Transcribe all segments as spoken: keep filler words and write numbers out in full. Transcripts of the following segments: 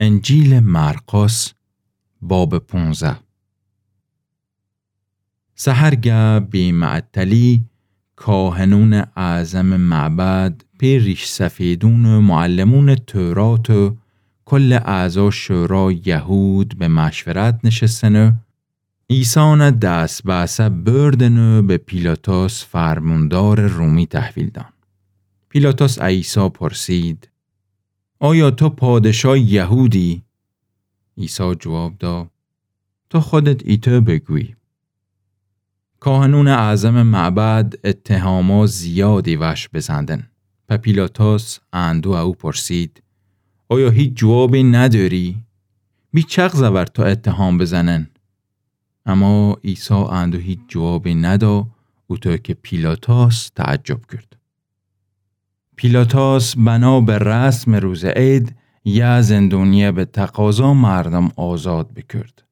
انجیلٚ مرقس، بابٚ پونزده. سحرگه بی‌معطلی کاهنونٚ اعظمٚ معبد، پئر ریش‌سفیدون و معلمونٚ تورات و کلٚ اعضا شورایٚ یهود به مشورت نشستن و عیسی دس بأسه بردن و به پیلاطس فرموندارٚ رومی تحویل دأن. پیلاطس ا عیسی پرسید: آیا تو پادشایٚ یهودی؟ عیسی جواب دا: تو خودت ایتو بگویی. کاهنونٚ اعظمٚ معبد اتهاما زیادی وش بزندن. په پیلاطس اندو او پرسید: آیا هیچ جوابی نداری؟ بی چغزه ور تو اتهام بزنن. اما عیسی اندو هیچ جوابی ندا، اوطو که پیلاطس تعجب کرد. پیلاطس بنا به رسمٚ روزٚ عید یه زندونیه به تقاضا مردم آزاد بکرد.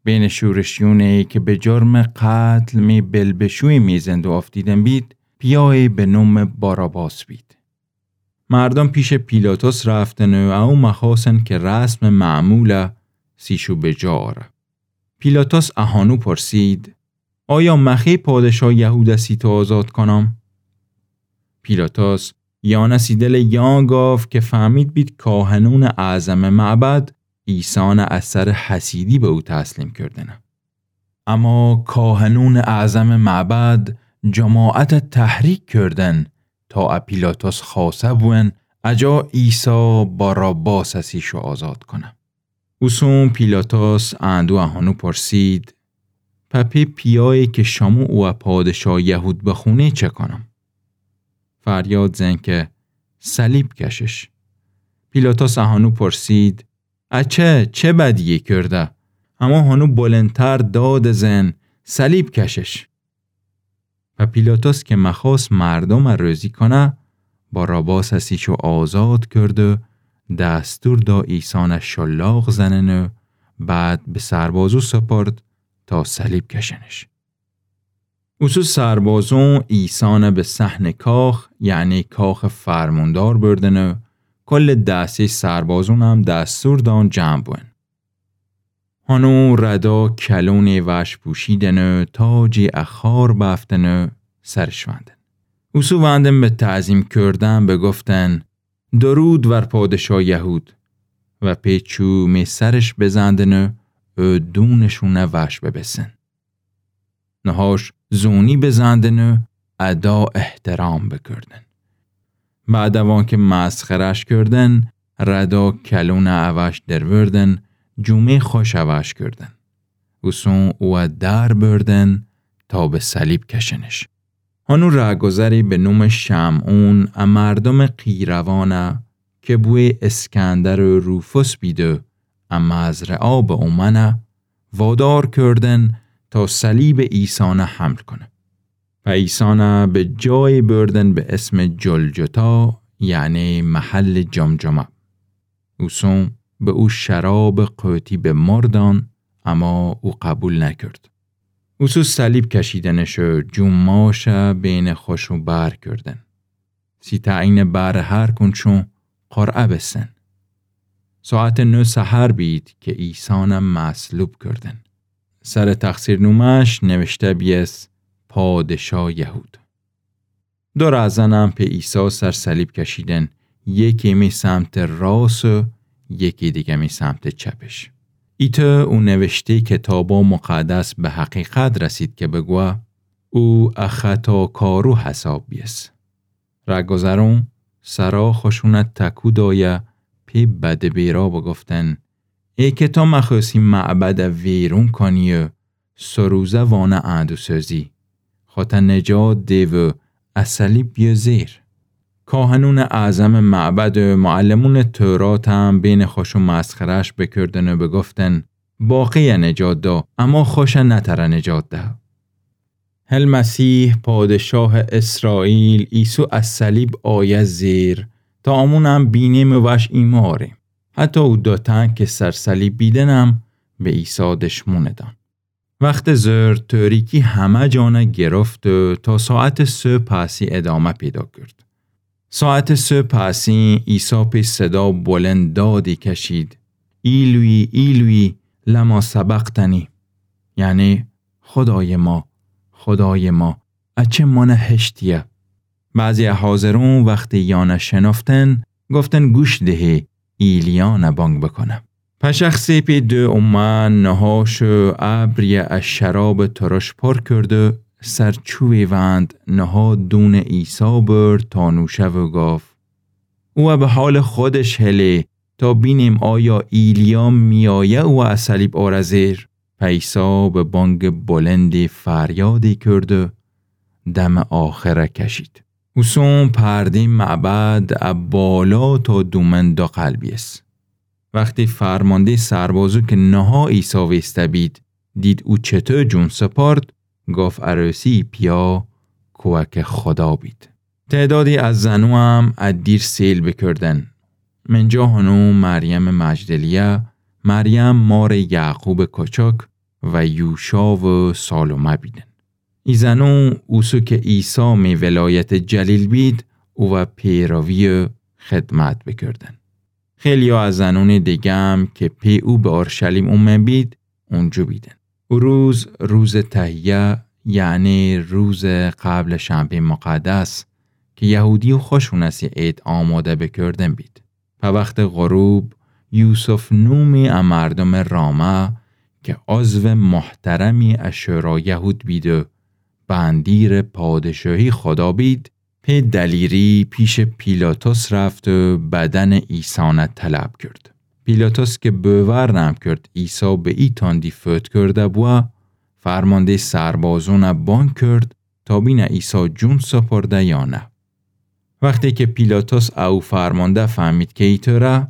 بینٚ شورشیونی که به جرمٚ قتل می بلبشوی می زندو آفتیدن بید، پیایی به نومٚ باراباس بید. مردم پیشٚ پیلاطس رفتن و او مخواستن که رسمٚ معموله سیشو به جا آره. پیلاطس اهانو پرسید: آیا مخی پادشایٚ یهوده سی تو آزاد کنم؟ پیلاطس یانه سی دلٚ یان گاف که فهمید بید کاهنونٚ اعظمٚ معبد عیسی نه از سرٚ حسیدی به او تسلیم کردنه. اما کاهنونٚ اعظمٚ معبد جماعته تحریک کردن تا ا پیلاطس خواسه بوئن اجا عیسی باراباسه سیشو آزاد کنه. اوسون پیلاطس اندو اهانو پرسید: په پی پیایی که شمو اوه پادشایٚ یهود بخونی چه کنم؟ فریاد زن که: صلیب کشش. پیلاطس اهانو پرسید: اچه چه بدیی کرده؟ اما هانو بلندتر داد زن: صلیب کشش. و پیلاطس که مخواست مردم روزی کنه، باراباس سیشو آزاد کرد و دستور دا عیسی نه شلاق زنن و بعد به سربازو سپرد تا صلیب کشنش. اوسو سربازون عیسی نه به صحنٚ کاخ، یعنی کاخٚ فرموندار بردن و کل دسته سربازون هم دستور دان جمع بون. هانو ردا کلونی وش پوشیدن و تاجی ا خار بافتن و سرش وندن. اوسو وندن به تعظیم کردن بگفتن: درود ور پادشایٚ یهود. و پیچو می سرش بزندن و دونشونه وش ببسن. نهاش زونی بزندن و ادا احترام بکردن. بعد وان که مسخرش کردن، ردا کلون اوش دروردن، جومه خوش اوش کردن. اوسون اوه در بردن تا به صلیب کشنش. هانو رهگذری به نومٚ شمعون ا مردمٚ قیروانه که بوی اسکندر و روفوس بیده ا مزرعه به اومنه، وادار کردن تا صلیبٚ عیسی نه حمل کنه. و عیسی نه به جایی بردن به اسمٚ جلجتا، یعنی محلٚ جمجمه. اوسون به او شرابٚ قوطی به مردان، اما او قبول نکرد. اوسو صلیب کشیدنش و جوماش بینٚ خوشو بر کردن. سی تعیینٚ بهرٚ هر کونچون قرعه بسن. ساعتٚ نه سحر بید که عیسی نه مصلوب کردن. سرٚ تقصیرنومه‌ش نوشته بیس: پادشایٚ یهود. دو رهزن هم په عیسی سر صلیب کشیدن، یکی می سمتٚ راس و یکی دیگه می سمتٚ چپش. ایتو او نوشته کتابٚ مقدس به حقیقت رسید که بگوه: او ا خطاکارو حساب بیس. رهگذرون سرا خوشونه تکو دایه، پی بدٚ بیرا بگفتن: ای که تو مخوستی معبده ویرون کنی و سه روزه وانه اندو سوزی، خوته نجات ده و ا صلیب بیه زیر. کاهنونٚ اعظمٚ معبد و معلمونٚ تورات هم بینٚ خوشو مسخره‌ش بکردن و بگفتن: باقیه نجات دا، اما خوشه نتره نجات ده. هل مسیح، پادشاهٚ اسرائیل، ایسو ا صلیب آیه زیر، تا امون هم بینیم و وش ایماریم. حتی او دو تن که سر صلیب بیدن هم به عیسی دشمون دان. وختٚ ظهر تاریکی همه جانه گرفت و تا ساعتٚ سه پسی ادامه پیدا کرد. ساعتٚ سه پسی عیسی پی صدا بلند دادی کشید: ایلوی، ایلوی، لما سبقتنی. یعنی، خودای ما، خودای ما، اچه مانه هشتیه؟ بعضی حاضرون وختی یانه شنفتن، گفتن گوش دهه، ایلیانه بانگ بکنه. پشخصی پی دو اومه نهاش ابریه ا شراب ترش پر کرد و سر چوی وند نها دون عیسی برد تا نوشه و گفت: او به حال خودش هله تا بینیم آیا ایلیا میایه او ا صلیب آره زیر؟ پیسا به بانگ بلندی فریادی کرد و دم آخره کشید. اوسون پردی معبد ا بالا تا دومن داقل بیس. وختی فرمانده سربازو که نها عیسی ویسته بید، دید او چطو جون سپارد، گاف عروسی پیا کوه که خدا بید. تعدادی از زنو هم ا دیر سیل بکردن. من جا هنو مریم مجدلیه، مریم مار یعقوب کوچک و یوشا و سالومه بیدن. ای زنو اوسو که عیسی می ولایت جلیل بید، او و پیروی خدمت بکردن. خیلیا از زنون دیگه هم که پی او به اورشلیم اومه بید، اونجو بیدن. او روز، روز تهیه، یعنی روز قبل شنبه مقدس، که یهودی و خوشونسی عید آماده بکردن بید. په وخت غروب، یوسف نومی ا مردم رامه که عضو محترمی ا شورای یهود بید و بندیر پادشاهی خدا بید، پی دلیری پیش پیلاطس رفت و بدن عیسانه طلب کرد. پیلاطس که بوور نم کرد عیسی به ای تندی فوت کرده بوه، فرمانده سربازونه بانگ کرد تا بینه عیسی جون سپرده یا نه. وختی که پیلاطس او فرمانده فهمید که ایطوره،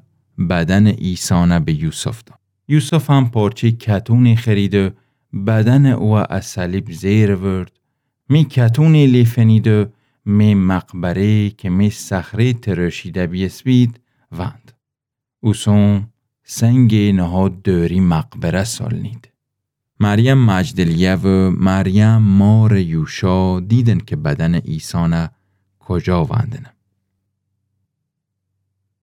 بدن عیسانه به یوسف داد. یوسف هم پارچه کتونی خرید و بدن او ا صلیب زیر ورد، می کتونی لیفنید و می مقبره که می صخره تراشیده بیس بید، وند. اوسون سنگ نها دوری مقبره سالنید. مریم مجدلیه و مریم مار یوشا دیدن که بدن عیسانه کجا وندنه.